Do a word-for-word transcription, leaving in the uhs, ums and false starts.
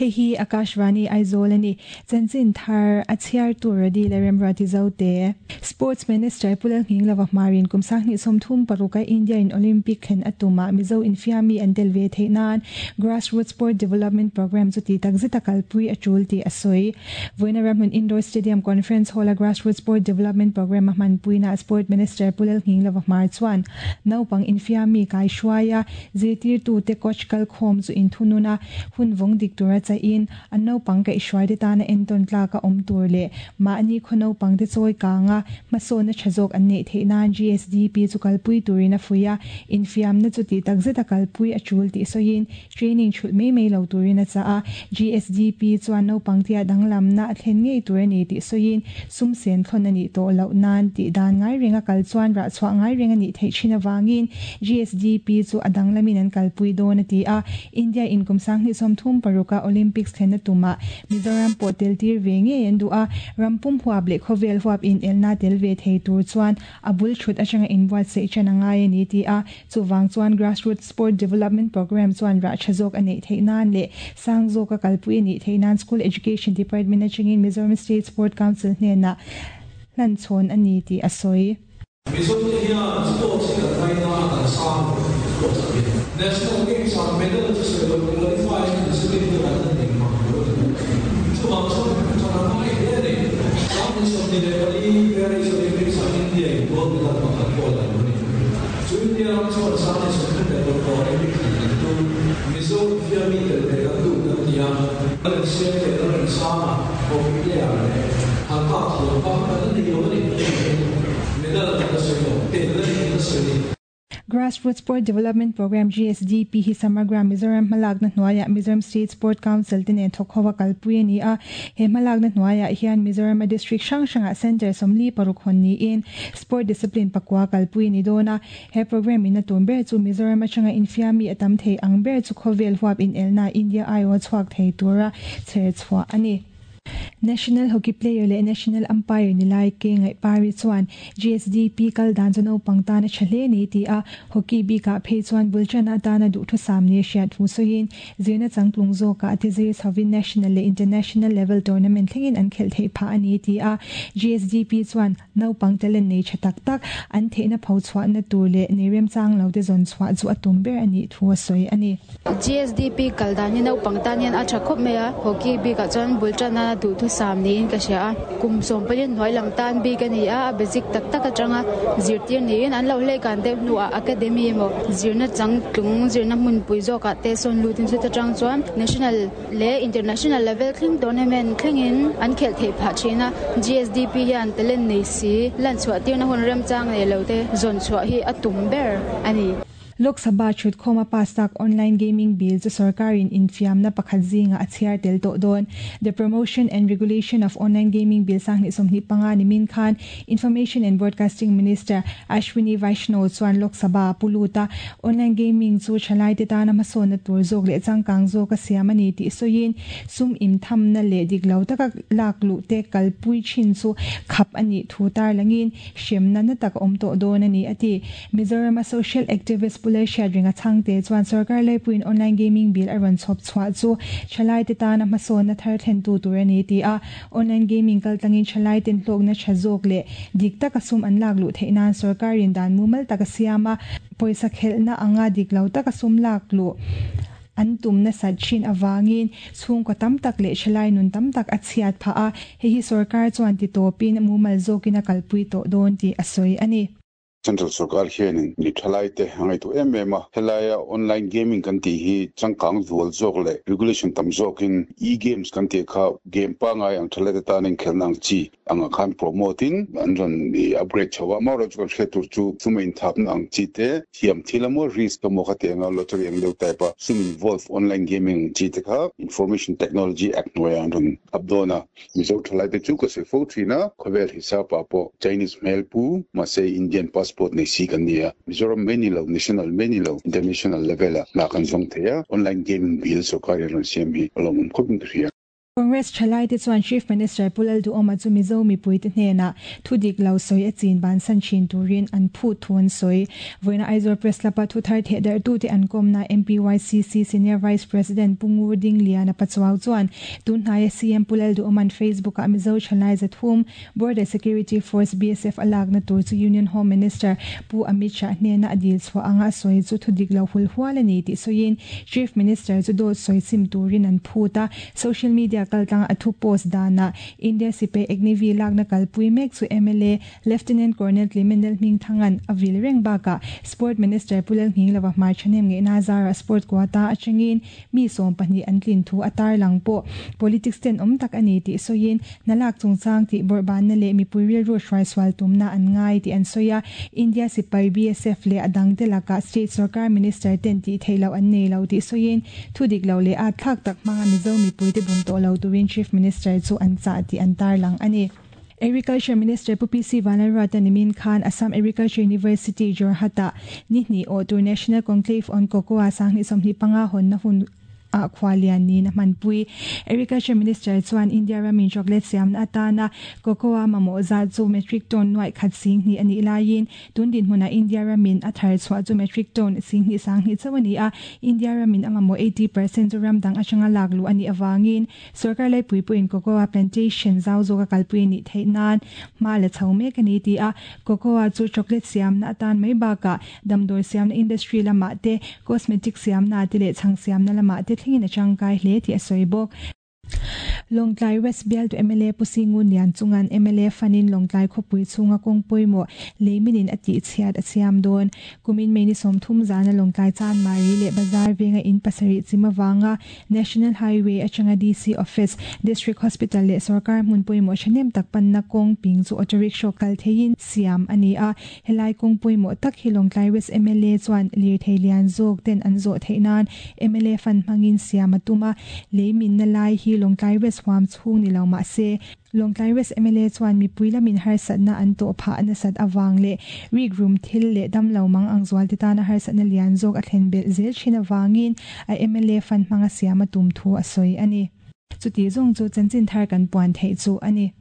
Hei hi Akashvani Aizawl ani. Chanchin thar a chhiar tur radi le remrati zote. Sports Minister Pulal Nghinglova Hmarin kum sanghnih sawmthum paruka India in Olympic thlen atuma Mizo infiami an tel ve theih nan Grassroots Sport Development Program chu ti takzet a kalpui a tul tih a sawi. Vawiina Ramhmun Indoor Stadium Conference Hall a Grassroots Sport Development Program a hmanpuina Sport Minister Pulal Nghinglova Hmar chuan naupang infiami kai hruaia zirtirtu te coach kalkhawm chu inthununa hun vawng dik tura cha in an naupang ka hruai te tana enton tlaka awm tur leh mahni khaw naupang te chawi kanga hmasawnna tha zawk an neih theih nan G S D P chu kalpui turin a fuih a, infiamna chu ti takzet a kalpui a tul tih sawiin training thulh mai mai lo turin a chah a. G S D P chuan naupang tia danglamna a thlen ngei tur ani tih sawiin sum sen thlawn ani tawh loh nan tih dan ngai renga kal chuan rah chhuah ngai reng ani theih thin awangin G S D P chu a danglamin an kalpui dawn a ti a. India in kum sanghnih sawmthum paruka Olympics thlen a tuma Mizoram pawh tel tir ve ngei an duh a, rampum huap leh khawvel huap in elna tel ve thei tur chuan a bul thut atanga inbuatsaih ṭan a ngai ani ti a. Chuwang chuan Grassroots Sport Development Program chuan rah tha zawk a neih theih nan leh sang zawk a kalpui ani theih nan School Education Department atangin Mizoram State Sport Council hnenah hlan chhawn ani tih a sawi. Mizo te hian sports hi kan ngaina kan sang sports a hian National Games ah medal chu sawi lo, qualify discipline te kan nei mang lo ani. Chuwang chuan chuan a ngai hle ani. Sang ni sawmhnih leh pali Paris Olympics ah India in gold medal pakhat pawh la lo ni. Chu India ram chuan sang ni sawmthum leh paruk Olympic thlen kan tum, Mizo infiami tel ve kan duh kan ti a, kan siam te kan sanga hockey player leh han kap thiam pa kan nei lo ani. Medal kan la sawi lo, tel ani kan la sawi ni. Grassroots Sport Development Program G S D P hi Samagra Mizoram hmalakna hnuaiah Mizoram State Sport Council te nen thawk kalpui ani a. He hmalakna hnuaiah hian Mizoram a district hrang hrangah center sawmli paruk hawn niin sport discipline pakua kalpui ni dawn a. He program in a tum ber chu Mizoram atanga infiami a tam thei ang ber chu khawvel huap in elna India aiaw chhuak thei tura chher chhuah ani. National hockey player leh national umpire nilai ke ngai pari chuan G S D P kal dan chu naupang tana tha hle ni ti a. Hockey bika phei chuan bulchana tana duh thu sam ni hriat thu sawiin zirna changtlung zawka ati zir chhovin national leh international level tournament thlengin an khel thei pha ani ti a. G S D P chuan naupang talent nei tha tak tak an theihna pho chhuah na tur leh nei rem chang lo te zawn chhuah chu a tum ber ani thu a sawi ani. G S D P kal dan hi naupang tan hian a tha khawp mai a. Hockey bikah chuan bulchana duh thu sam niin ka hria a. Kum sawm palian hnuai lam tan bik ani a, a basic tak tak atanga zirtir niin an lo hlei kan deuh hnuah academy emaw zirna changtlung zirna hmunpui zawkah te sawn lutin chu atang chuan national leh international level thleng tournament thlengin an khelh theih phah thin a. G S D P hian talent nei si lan chhuah tirna hun remchang nei lo te zawn chhuah hi a tum ber ani. Lok Sabha thut khoma pass tak online gaming bill chu sarkarin infiamna pakhat zinga a chhiar tel tawh dawn. The Promotion and Regulation of Online Gaming Bill sanghnih sawmhnih panga ni min khan Information and Broadcasting Minister Ashwini Vaishnaw chuan Lok Sabha puluta. Online gaming chu thalai te tana hmasawnna tur zawk leh changkang zawk a siam ani tih sawiin sum im thamna leh dik lo taka lak luh te kalpui thin chu khap ani thu tar langin hremna na tak awm tawh dawn ani ati. Mizoram a social activist Pulai Hriat ringa changte chuan sarkar laipuin online gaming bill a rawn chhawp chhuah chu thalai te tana hmasawnna thar thlen tu tur ani ti a. Online gaming kal tlangin thalai ten hlawkna tha zawk leh dik taka sum an lak luh theih nan sarkarin dan mumal taka siama pawisa khelhna anga dik lo taka sum lak luh an tumna sat thin awangin chhungkaw tam tak leh thalai nun tam tak a chhiat pha a. Hei hi sarkar chuan ti tawpin mumal zawkin a kalpui tawh dawn tih a sawi ani. Central sarkar hianin mi thalai te hangai tu em em a. Helaia online gaming kan ti hi changkang zual zawk leh regulation tam zawkin e-games kan ti kha game pa ngai ang thalai te tanin khelnang chi anga khan promote in an ron i upgrade chawa ma ro chu kan hre tur chu sum in thap na ang chi te thiam thilamo risk ka mo kha te anga lottery ang deuh type a sum involve online gaming chi te kha Information Technology Act noya an ron updona. Mizo thalai te chu ka se fo thina khawvel hisap pa po Chinese hmel pu ma se Indian passport nei si kan nia. Mizoram many lo, national many lo, international level a la kan zong theia online gaming bill sarkar ron siam hi alom khopin ka hria. Congress thalai te chuan Chief Minister Pu Lalduhoma chu Mizo mipui te hnena thudik lo sawi a chin ban san thin turin an phu thu an sawi. Vawiina Aizawl Press Club a thu thar theh darh tu te an kawmna M P Y C C Senior Vice President Pu Ngur Ding Liana Pachuau chuan tun hnaia C M Pu Lalduhoman Facebook a Mizo thalai zathum Border Security Force B S F alak na tur chu Union Home Minister Pu Amit Shah hnena a dil chhuah anga sawi chu thudik lo hul hual ani tih sawiin Chief Minister chu dawt sawi sim turin an phut a. Social media kaltlang a thu post dana India sipai Agniveer lakna kalpui mek chu M L A Lieutenant Colonel Clement Lalhmingthangan a vil reng baka Sport Minister Pu Lalnghinglova Hmar thanem nge na zara sport quota atangin mi som pahnih an tlin thu atar lang po politics ten om tak ani ti soyin nalak chungchang ti borban na le mi puiril ro hrai swal tumna an ngai ti an soya. India sipai B S F le adang te laka state sarkar minister ten ti theilo an nei lo ti soyin thudik lo le a thak tak manga Mizo mi pui te bum to lo turin Chief Minister chu an cha ti an tar lang ani. Agriculture Minister Pu P C Vanlalruata nimin khan Assam Agriculture University Jorhata ni hnih awh tur National Conclave on Cocoa sanghnih sawmhnih panga hawn na hun a khwalian ni na hmanpui. Agriculture Minister chuan India ramin chocolate siam na atana cocoa mamawh zat chu metric ton nuai khat sing hnih ani laiin tun din hmuna India ramin a thar chhuah chu metric ton sing hnih sang hnih chauh ani a. India ramin a mamawh eighty percent chu ramdang atanga lak lu ani awangin sarkar laipui puin cocoa plantation zau zawk a kalpui ni theih nan hma la chho mek ani ti a. Cocoa chu chocolate siam na atan mai baka damdawi siam na industry lamah te, cosmetic siam na te leh chhang siam na lamah te thlengin a tangkai hle tih a sawi bawk. Lawngtlai West Bial tu M L A Pu Singun Lian chungan M L A fanin Lawngtlai khawpui chhunga kawng pawimawh leiminin a tih chhiat a siam dawn. Kumin May ni sawmthum zana Lawngtlai Chanmari leh Bazar venga in pasarih chim awanga National Highway atanga D C Office, District Hospital leh sarkar hmun pawimawh thahnem tak panna kawng ping chu auto rickshaw kal theiin siam ani a. Helai kawng pawimawh tak hi Lawngtlai West M L A chuan lirthei lian zawk ten an zawh theih nan M L A fan hmangin siam a tum a. Leimin na lai hi Lawngtlai West huam chhung ni lo mah se Lawngtlai West M L A chuan mipui lamin harsatna an tawh phah nasat awang leh rik rum thil leh damlo mang ang zual te tana harsatna lian zawk a thlen belh zel thin awangin a M L A fan hmanga siam a tum thu a sawi ani. Chuti zawng chu chanchin thar kan puan theih chu ani.